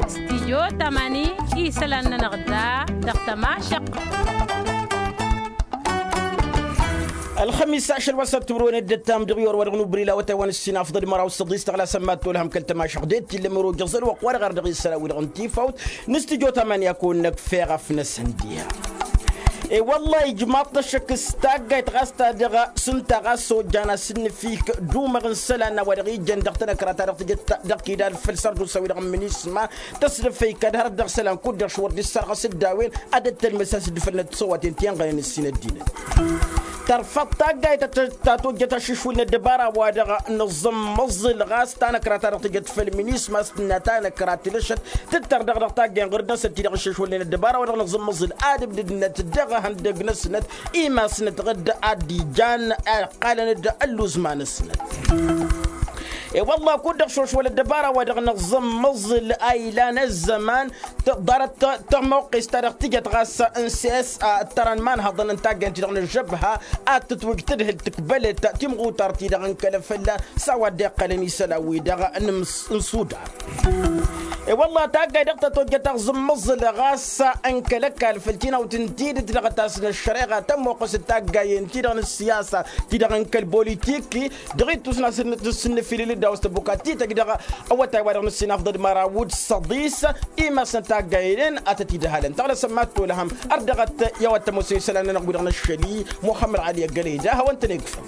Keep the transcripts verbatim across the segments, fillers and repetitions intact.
Stijyo tamani isălan-nănăɣ da dăɣ-tămašăq. Ălxămis ašăl wa s-ăttubru-wen dd-ăttam dăɣ-iwăr wa dăɣ-nubrila wătay wa n-ǝssin afḍăl măraw s-săḍis tăɣlasăn mad-tolhăm kăl-tămašăq d-e t-illa mărojăẓ ălwăqq wa dăɣ-ar dăɣ-isălan wi-dăɣ n-tifawt n-stijyo tamani a kăwăn-năkf eɣăf n-asăndiha. E-wălla ijmaḍ-t ăššăk s-taggayt ɣas ta dăɣ-sǝnta ɣas ojjan asǝnnǝfik d-umăɣ n-isălan n-a-wa dăɣ-ijăn dăɣ-tanăkra ta dăɣ-tijăt dăɣ-kidal făll-sărdusa-wi-dăɣ n-minisma tăsdăfăy kad hărăt dăɣ-isălan kud-dăɣ šwăr d-issărɣăs dd-a-wen ad-ăttălmǝs a-s dd-făll n-ăttisăwaten ti ănɣănen ǝssin ăddinăt. Tărfăḍ taggayt ta tojjăt aššǝšwǝl n-ăddăbara wa dăɣ-nǝẓǝmmăẓǝl ɣas tanăkra ta dăɣ-tijăt făll-minisma s-tǝnna tanăkra tilăšăt tǝttăr dăɣ-dăɣ taggay n-ɣur-dăɣ s-ăttidăɣ aššǝšwǝl n-ăddăbara wa dăɣ-nǝẓǝmmăẓǝl ad-ǝbdǝdnăt dăɣ-ihăndăg-năsnăt imasnăt ɣǝdd ad-dd-ijan ăqqalăn-dd ălluzma-năsnăt. E-wălla kud-dăɣ šošwăl ăddăbara wa dăɣ-nǝẓǝmmăẓǝl a ilan ăzzăman ḍarăt tămoqqes ta dăɣ-tijăt ɣas n-s s a ǝttărăn imanhăḍăn n-taggay n-ti-dăɣ n-ăžžăbha ad-tǝtwǝj tadhǝlt tǝkbălăt timɣutar-ti-dăɣ n-kăl-ăfălla s-a-wa dd-iqqălăn isălan-wi-dăɣ n-imsudar. E-wălla taggay dăɣ-ta tojjăt aẓǝmmăẓǝl ɣas n-kăl-ăkall făll-tinawt n-tidǝt dăɣ-tasnăt šăreɣa tămmoqqăs d-taggayen-ti-dăɣ n-ǝssiyasa ti-dăɣ n-kăl-bolitiki dăɣ-ittus n-asǝnnǝfilǝl d-a-wa s-tăbbuka tităj dăɣ-awătay wa dăɣ-nǝssin afḍăd măraw d-săḍis imasnăt taggayen-en ad-tăt-idhălăn tăɣlăsăm mad-tolhăm ărdăɣăt i-a-wa t-ămoosăn isălan-nănăɣ wi-dăɣ n-ăššăl-i muxămmăd ɣali ăggălăy da hawăn-tăn-egfăn.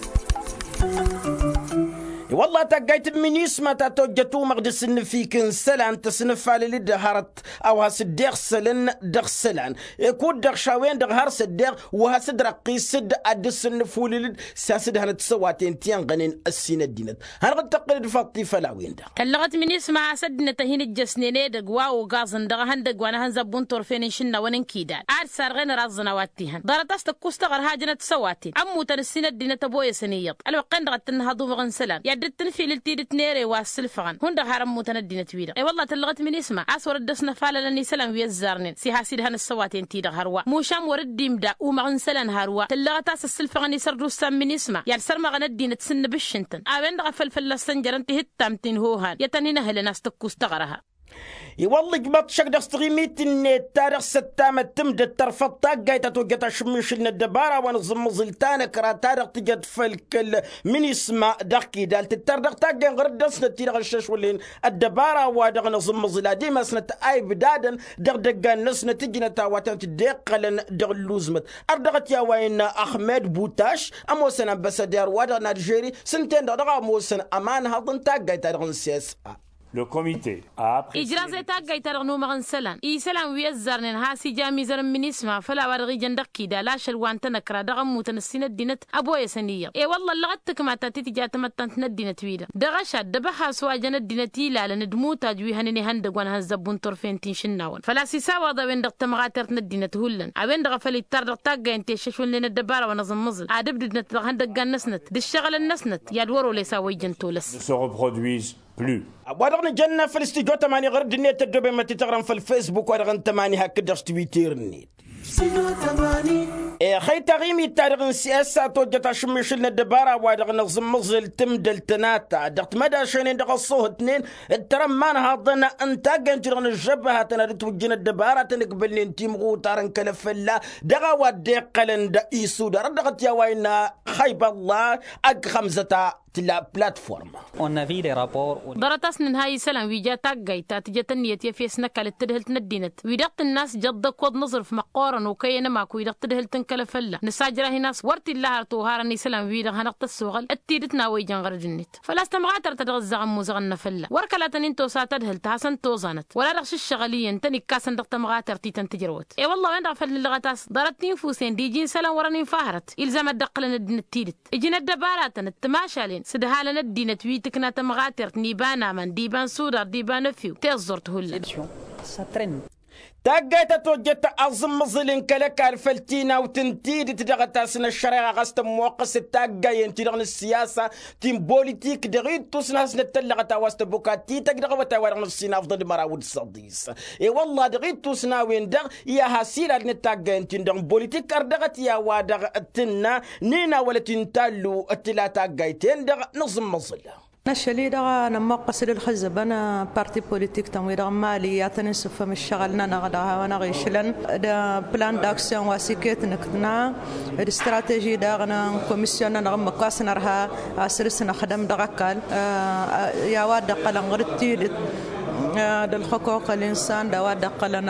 I-wălla taggayt n-minisma ta tojjăt umăɣ d-asǝnnǝfik n-isălan tăsnăfalăl-dd hărăt a-wa has-dd-iɣsălăn dăɣ-isălan kud-dăɣ šawen-dăɣ har s-ăddeɣ wa has-dd-răqqis-dd ad-dd-sǝnnǝfulǝl-dd s-has-dd-hănăt tisăwaten ti ănɣănen ăssin ăddinăt. Hanăɣ-dd-tăqqǝl-dd faḍt-i făll-a-wen-dăɣ. Tăllăɣăt minisma a-s ăddinăt a hin-ǝjjăsnen edăgg wa ogaẓăn dăɣ-ehăndăgg wa n-ehănzăbbu n-turfen n-išǝnnawăn n-kidal ad-sarɣen ăraẓẓăn a-wa t-ihăn ḍarăt a-s tăkkus taɣăr hajnăt tisăwaten ămmutăn ǝssin ăddinăt ăboyăsăn iyyăḍ ălwăqq-en-dăɣ ad-tǝnnăhăḍ umăɣ n-isălan i-ad-dd-tǝnfilǝl tidǝt n-ere wa ăssǝlfăɣăn hundăɣ har ămmutăn ăddinăt-wi-dăɣ. E-wălla tăllăɣăt minisma a-s wăr dd-ăsnăfalălăn isălan wi ăzzarnen s-iha s-idhăn ăssăwaten-ti-dăɣ hărwa mušam wăr dd-imda umăɣ n-isălan hărwa tăllăɣăt a-s ăssǝlfăɣăn isărdusa n-minisma i-ad-sărmăɣăn ăddinăt s-ǝnnǝbǝššǝntăn a-wen-dăɣ a făl fălla-s tănjărăn tihǝttam ti n-hohan i-ad-tăn-in-ăhlǝn a-s tăkkus taɣărha. I-wălla ijmăḍ šăkk dăɣ-s tiɣimit-net ta dăɣ-s ăttamăt tǝmdăt tărfăḍ taggayt ta tojjăt ašǝmmišǝl n-ăddăbara wa n-aẓǝmmăẓǝl tanăkra ta dăɣ-tijăt făll-kăl-minisma dăɣ-kidal tǝttăr dăɣ-taggay n-ɣărăt dăɣ-snăt ti-dăɣ ăššăšwălnen ăddăbara wa dăɣ-nǝẓǝmmăẓǝl ad-imasnăt a ibdadăn dăɣ-idăggan-năsnăt ǝjnăt a-wa tăn-tǝddeqqălăn dăɣ-ǝlluzmăt. Ărdăɣăt i-a-wa innă ăxmed butaš ămoosăn ănbăsăder-wa-dăɣ n-alžeri s-ǝnta-en-dăɣ dăɣ-a ămoosăn ămanhăḍ n-taggayt-ta-dăɣ n-sesa. Ijraẓ i-taggayt-ta-dăɣ n-umăɣ n-isălan isălan wi ăzzarnen has-ija amizăr n-minisma făll-a-wa dăɣ-ijăn dăɣ-kidal ašăl wa n-tanăkra dăɣ-ămmutăn ǝssin ăddinăt ăboyăsăn iyyăḍ. E-wălla ăllăɣăt tǝkma ta titǝja tamăttant n-ăddinăt-wi-dăɣ dăɣ-ašad d-abăha s-wa jăn ăddinăt ilalăn d-imutaj wi hănen ihăndăg wa n-ehănzăbbu n-turfen ti n-išǝnnawăn făl-a-s isawaḍ a-wen-dăɣ tămɣatert n-ăddinăt hullan a-wen-dăɣ a făl ittar dăɣ-taggay n-ti ăššăšwălnen ăddăbara wa n-aẓǝmmăẓǝl ad-ǝbdǝdnăt dăɣ-ihăndăggan-năsnăt d-ǝššăɣǝlăn-năsnăt i-ad-wăr-oles a wa ijăn tolăs. Wa dăɣ-nǝjănna făll-studyo tămani ɣur-dd-net ăddoobem ad-t-tăɣrăm făll-fesbuk wa dăɣ-n tămani hakd-dăɣ s-twitter-net. Ixăy taɣimit-ta-dăɣ n-siyasa tojjăt ašǝmmišǝl n-ăddăbara wa dăɣ-nǝẓǝmmăẓǝl tǝmdăl tănata dăɣ-timădašăynen dăɣ-ăṣṣuhǝtnen d-tărămmanhaḍăn n-taggăyăn-ti-dăɣ n-ǝžžăbha tănadăt wǝjjǝn ăddăbara tănǝkbălnen timɣutar n-kăl-ăfălla dăɣ-a-wa dd-iqqălăn d-isudar ăddăɣăt i-a-wa innă xăybălla ăgg xămzăt a tǝlla platforma. Ḍarăt a-s nǝnhay isălan wi ja taggayt ta tǝjăt ǝnniyăt i-efes n-ăkall d-tadhǝlt n-ăddinăt wi-dăɣ tǝnn'-as jăḍḍăk wăḍ n-aẓrǝf măqqoorăn okăyăn ămaku-i-dăɣ tadhǝlt n-kăl-ăfălla nǝsajrah-in a-s wăr t-illa har toharăn isălan-wi-dăɣ hanăɣ-tăssoɣăl d-tidǝt n-a-wa ijăn ɣărăd-net. Făl-a-s tămɣatărt ta dăɣ-ǝzzaɣ ămmuzaɣăn n-afălla wăr kăla tăn-in-tosa tadhǝlt a hasăn-toẓanăt wăla dăɣ-šǝššăɣǝl iyyăn tăn-ikkasăn dăɣ-tămɣatărt-i tăn-tǝjrăwăt. I-wălla a-wen-dăɣ a făl nǝllăɣăt a-s ḍarăt tinfusen d-iji n-isălan wărăn infa hărăt ilzam ad-dd-ăqqǝlăn ăddinăt tidǝt ǝjǝn ăddăbaratăn d-timašalen s-ǝdhalăn ăddinăt wi tǝkna tămɣatert n-iba n-aman d-iba n-sudar d-iba n-efew tiẓẓurt hullan. Taggayt ta tojjăt aẓǝmmăẓǝl n-kăl-ăkall făll-tinawt n-tidǝt dăɣ-ătasnăt šăreɣa ɣas tămmoqqăs d-taggayen-ti dăɣ-nǝssiyasa ti n-bolitik dăɣ-ittus n-hasnăt tăllăɣăt a-wa s-tăbbuka tităj dăɣ-awătay wa dăɣ-nǝssin afḍăl măraw d-săḍis. I-wălla dăɣ-ittus n-a-wen-dăɣ i-ad-has-ilalnăt taggayăn-tin-dăɣ n-bolitik ărdăɣăt i-a-wa dăɣ-tǝnna n-inawălăt intallu tǝla taggayt-en-dăɣ n-aẓǝmmăẓǝl. N-ašăl-i-dăɣ nămmoqqăs d-ǝlxǝzzăbăn parti politik-tăn-wi-dăɣ n-mali i-ad-tăn-insǝffăm ǝššăɣǝl-nănăɣ dăɣ-a-wa n-aɣ-išlăn d-plan d-action wa s-iket nǝkna d-strateži daɣ n-komisyon-nănăɣ ǝmmǝk wa s-nărha a săr-s năxdăm dăɣ-ăkall i-a-wa dd-ăqqălăn ɣur-dd tidǝt d-ălxuquq ălinsan d-a-wa dd-ăqqălăn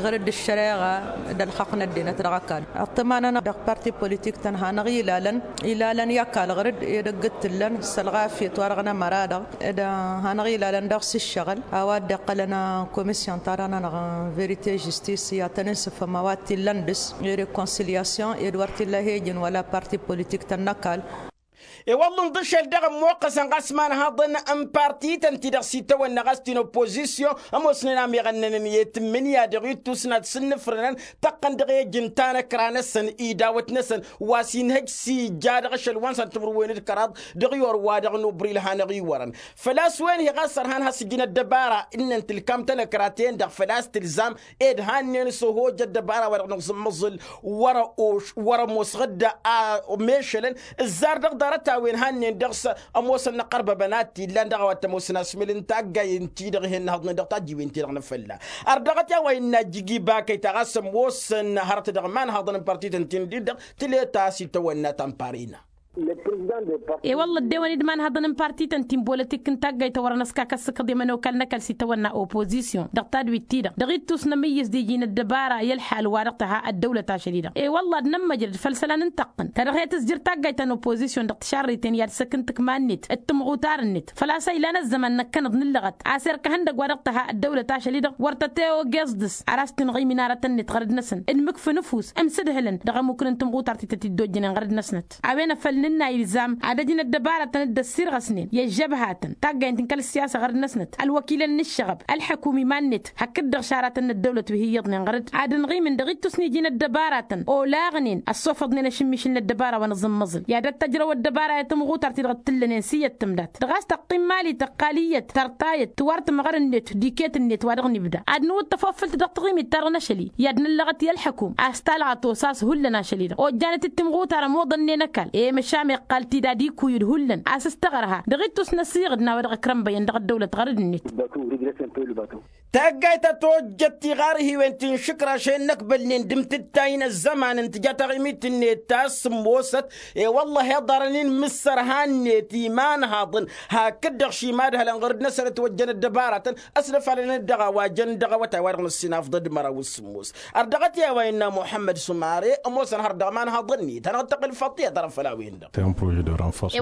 ɣur-dd ăššăreɣa d-ălxaqq n-ăddinăt dăɣ-ăkall. Ăṭṭăma-nănăɣ dăɣ-parti politik-tăn hanăɣ-ilalăn ilalăn i-ăkall ɣur-dd ed ăgg-t t-ǝllăn s-ălɣafyăt wa dăɣ-nămăra-dăɣ d-hanăɣ-ilalăn daɣ s-ǝššăɣǝl a-wa dd-iqqălăn komisyon-ta-dăɣ-nănăɣ n-verite žistis i-ad-tăn-insǝfăm a-wa t-illăn dăɣ-s i-rekonsilyasyon ed wăr t-illa he-ǝjǝn wăla parti politik-tăn n-ăkall. I-wălla ǝnḍǝšel dăɣ-ămmoqqăsăn ɣas imanhaḍăn n-parti-tăn-ti-dăɣ s-itawănna ɣas ti n-oppozisyon ămoosnen a meɣănnănăn i-tǝmmǝnǝya dăɣ-ittus n-ad-sǝnnǝfrănăn tăqqăn dăɣ-ejǝn tanăkra-năsăn idawăt-năsăn wa s-inhăj s-ija dăɣ-ašăl wa n-săn timǝrwen d-kăraḍ dăɣ-iyor wa dăɣ-nubril hanăɣ-iwărăn. Făl-a-s wen hi-ɣas ărhan has-ǝjǝn ăddăbara ǝnnăn tǝlkam tanăkra-ten-dăɣ făl-a-s tǝlzam ed hannen s-ohoj ăddăbara wa dăɣ-nǝẓǝmmăẓǝl wăr-ămoos ɣǝdda a mešălăn ǝzzar dăɣ-ḍarăt-a-wen hannen dăɣ-s ămoosăn n-ăqqărbăbăn a t-illan dăɣ-a-wa t-ămoosăn asmǝl n-taggayen-ti-dăɣ ih'-innăhăḍnen dăɣ-tajjiwen-ti-dăɣ n-afălla. Ărdăɣăt i-a-wa innă ajjǝj ibakăy ta ɣas ămoosăn hărăt dăɣ-imanhaḍăn n-parti-tăn-tin-dd-dăɣ tǝlet a-s itawănna ta n-parina. E-wălla ăddewăn-dd imanhăḍăn n-parti-tăn ti n-bolătik n-taggayt ta wărăn ăskak ăssǝkkăḍ i-ămănokal n-ăkall s-itawănna oppozisyon dăɣ-tadwit-ti-dăɣ dăɣ-ittus n-amǝyyǝs d-iji n-ăddăbara i-ălḥal wa dăɣ-tǝha ăddăwlăt ašăl-i-dăɣ. E-wălla ad-nămmăjrăd făll-isălan n-tăqqǝn ta dăɣ-he-tǝzjăr taggayt ta n-oppozisyon dăɣ-tišarriten i-ad-săk n-tǝkma-net d-timɣutar-net făl-a-s ăylan ăzzăman năkkănăḍ nǝllăɣăt a-s erk ehăndăgg wa dăɣ-tǝha ăddăwlăt ašăl-i-dăɣ wăr tăt-e-ogeẓ dăɣ-s ar a-s tǝnɣǝy minarătăn-net ɣărăd-năsăn d-imǝkfǝn ǝfus imsǝdhǝlăn dăɣ-ămmukǝn n-timɣutart-ti tăt-dd-ojjănen ɣărăd-năsnăt. A-wen a făl nǝnna ilzam ad-ăj n-ăddăbarătăn dd-ăssirɣăsnen i-ăžžăbhatăn taggayen ti n-kăl-ăssiyasa ɣărăd-năsnăt ălwăkilăn n-ǝššăɣăb ălḥăkum iman-net hakd-dăɣ šaratăn n-ăddăwlăt wi hi-iyyăḍnen ɣărăd ad-ǝnɣimǝn dăɣ-ittus n-iji n-ăddăbarătăn olaɣnen ăssofăḍnen ašǝmmišǝl n-ăddăbara wa n-aẓǝmmăẓǝl i-ad-ăttăjrăw ăddăbara i-timɣutart-ti-dăɣ t-tǝllănen s-iyyăt tǝmdat dăɣ-a-s tăqqim mali tăqqal iyyăt tărtayăt tiwar tǝmɣăr-net d-iket-net wa dăɣ-nibda ad-nǝwǝḍ tăfofǝlt dăɣ-taɣimit-ta-dăɣ n-ašăl-i i-ad-năllăɣăt i-ălḥăkum a-s talɣa tosas hullan ašăl-i-dăɣ ojjanăt-dd timɣutar ămoḍănnen ăkall i-măšan iqqal-t-dd ad-ikuyǝd hullan a-s s-tăɣărha dăɣ-ittus n-asiɣǝd n-a-wa dăɣ-ăkrănbăyăn dăɣ-ăddăwlăt ɣărăd-net. Taggayt ta tojjăt tiɣarhiwen ti n-išǝkraš-en n-ăkbălnen d-imtǝttay n-ăzzăman n-tǝja taɣimit-net ta s-sǝmmosăt. I-wălla-hi ăḍarăn-in mǝssărha-net imanhaḍăn hakd-dăɣ šimadhălăn ɣur-dd-năsăn ătwăjjăn ăddăbaratăn ăslăfalăn-dd dăɣ-a-wa jăn dăɣ-awătay wa dăɣ-năssinafḍăd măraw s-sǝmmos. Ărdăɣăt i-a-wa innă muḥămmăd sumare ămoosăn har dăɣ-imanhaḍăn-net hanăɣ-dd-tăqqǝl făṭṭiyăt ărăfăl a-wen-dăɣ.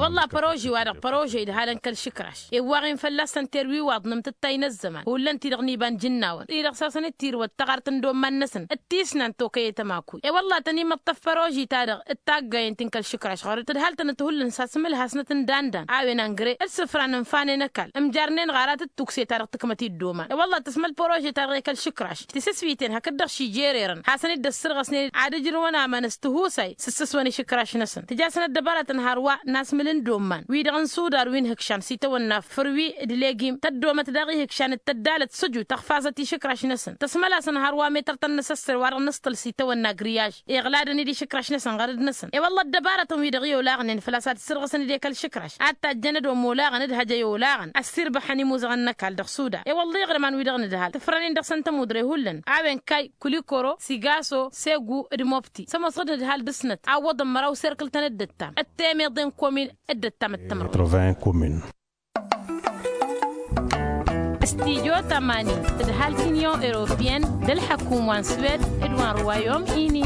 Wălla păroži-wa-dăɣ păroži idhalăn kăl-išǝkraš ewwaɣ-in fălla-săn terwiwaḍ n-amtǝttay n-ăzzăman hullan-ti-dăɣ n-iba n-jǝnnawăn-ti-dăɣ s-hasăn-dd-tirwăt taɣart n-domman-năsăn d-tisnant okăy i-tămakuy. I-wălla tăn-in-măṭṭăf păroži-ta-dăɣ d-taggayen ti n-kăl-išǝkraš ɣur-dd tǝdhal-tănăt hullan s-asǝmǝlhasnăt n-dandan a-wen angre d-isǝfra n-infanen ăkall ǝmjarnen ɣaratăt tukse-ta-dăɣ tǝkmăt-dd oman. I-wălla tăsmăl părože-ta-dăɣ i-kăl-išǝkraš tisǝswiten hakd-dăɣ šijererăn hasăn-dd-ăssărɣăsnen ad-ǝjrǝwăn aman s-tihusay s-ǝssǝswăn išǝkraš-năsăn tǝja-săn ăddăbaratăn hărwa n-asmǝl n-domman wi-dăɣ n-sudar wi n-ihǝkšan s-itawănna fărwi d-legim tăddomăt daɣ ihǝkšan d-tăddalăt sǝju tăɣfazăt išǝkraš-năsăn tăsmăl-asăn hărwa metăr tăn-năsăssăr wa dăɣ-nǝsṭăl s-itawănna griyaj iɣladăn-dd išǝkraš-năsăn ɣărăd-năsăn. I-wălla ăddăbarătăn-wi-dăɣ i-olaɣnen făl-a-s ad-sărɣăsăn-dd i-kăl-išǝkraš ad-tajjăn ad-omolaɣăn d-hăj ăyolaɣăn ăssirbăxăn imuzăɣăn n-ăkall dăɣ-suda. I-wălla iɣrǝman-wi-dăɣ nǝdhal tǝfrănen dăɣ-săn tămudre hullan a-wen kay kulikoro sigaso segu d-mobti s-ămoosăɣ d-nǝdhal dăɣ-snăt a ǝwwăḍăn măraw serkǝl-tăn d-ăttam d-temeḍe n-komin d-ăttam d-tămrăwt. Studio tămani tǝdhal ti n-inyon europeyăn d-ălḥăkum wa n-swed d-wa n-ruwayom ini.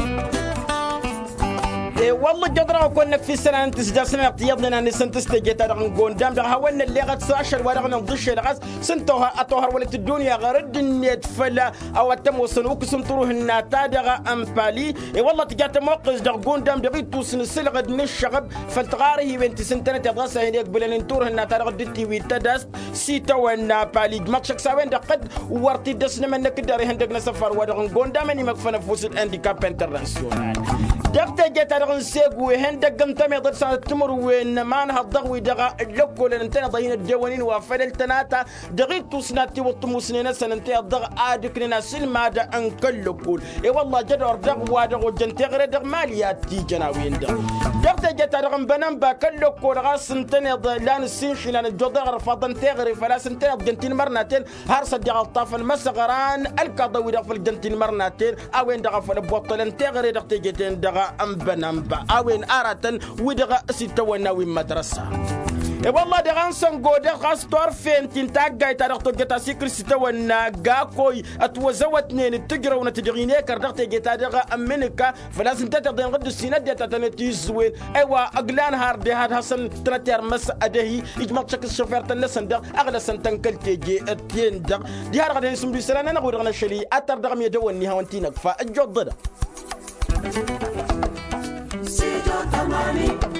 E-wălla ǝjjăḍ-dăɣ a-kăwăn-năkf isălan n-tisjasnănăɣ ti iyyăḍnen a nǝsǝntǝs teje-ta-dăɣ n-gondam-dăɣ a hawăn-nălleɣăt s-ašăl-wa-dăɣ n-inḍǝšel ɣas s-ǝnta a oha ătohăr wăla t-ăddunya ɣărădd-net făll-a-wa t-ămoosăn ukǝs n-turhǝnna-ta-dăɣ n-pali. I-wălla tǝja tămoqqes dăɣ-gundam dăɣ-ittus n-asǝlɣǝd n-ǝššăɣăb făll-tiɣarhiwen ti s-ǝntănăteḍ ɣas a hin-egbǝlăn n-turhǝnna-ta-dăɣ dd-tiwit tădast s-itawănna pali ǝjmăḍ šăkk s-a-wen-dăɣ qădd wăr t-dd-ăsnămănnăk dd-ar ihăndăg n-asăfar-wa-dăɣ n-gundam ănimăkfăn ăfuss d-andikap internasyonal. Dăɣ-teje-ta-dăɣ n-segu ehen dăgg n-tămeḍe d-sănăt timǝrwen n-ămanhăḍ dăɣ-wi-dăɣ ăllăkkolăn ǝntăneḍ a hin-ăddewăn-in wa făl ăltănata dăɣ-ittus n-ad-tiwǝḍ tǝmusnen-năsăn ǝnta i-dd-dăɣ ad-ǝknen asǝlmad n-kăl-lăkkol. I-wălla jădor dăɣ-wa-dăɣ ojjăn teɣăre dăɣ-mali ad-t-ijăn a-wen-dăɣ dăɣ-teje-ta-dăɣ n-bănănba kăl-lăkkol ɣas ǝntăneḍ lan ǝssinšilan ăjjoḍăr ărfaḍăn teɣăre făl-a-s ǝntăneḍ jăn tinmărnaten har s-ăddiɣ ălṭṭafăn imăsăɣran ălkaḍăn-wi-dăɣ făl jăn tinmărnaten a-wen-dăɣ a făl ăbboṭṭălăn teɣăre dăɣ-teje-ten-dăɣ n-bănănba a-wen aratăn wi-dăɣ s-itawănna wi n-mădrăsa. I-wălla-hi dăɣ-ansăngo-dăɣ ɣas turfen ti n-taggayt ta dăɣ-tojjăt asikǝl s-itawănna gakoy ătwăzăwătnen d-tǝjrăwnăt dăɣ-inekăr dăɣ-teje-ta-dăɣ n-imǝnǝka făl-a-s ǝnta-tăt-dăɣ dăɣ-dd-ǝssin ăddinăt ta tăn-ătizǝwen. I-wa ăglan har deha ad-hasăn-tănăt irmăs ad-ehi ijmăḍ-t šăkk s-šofert-tăn-năsăn dăɣ-aɣlăsăn tăn-kăl-teje-ten-dăɣ. Diha-dăɣ ad-hin-sǝmdǝy isălan-nănăɣ wi-dăɣ n-ašăl i-ad-tăr dăɣ-mi ădăwănni hawăn-t-in-ăkfa ăjjoḍ-dăɣ. Studio tămani.